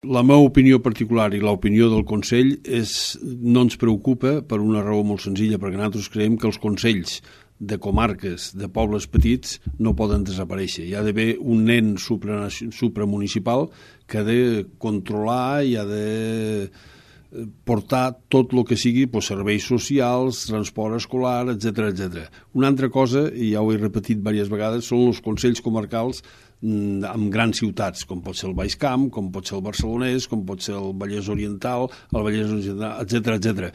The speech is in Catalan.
La meva opinió particular i l'opinió del Consell no ens preocupa per una raó molt senzilla, perquè nosaltres creiem que els consells de comarques, de pobles petits, no poden desaparèixer. Hi ha d'haver un nen supramunicipal que ha de controlar i ha de portar tot el que sigui serveis socials, transport escolar, etc. Una altra cosa, i ja ho he repetit diverses vegades, són els consells comarcals en grans ciutats, com pot ser el Baix Camp, com pot ser el Barcelonès, com pot ser el Vallès Oriental, el Vallès Occidental, etc.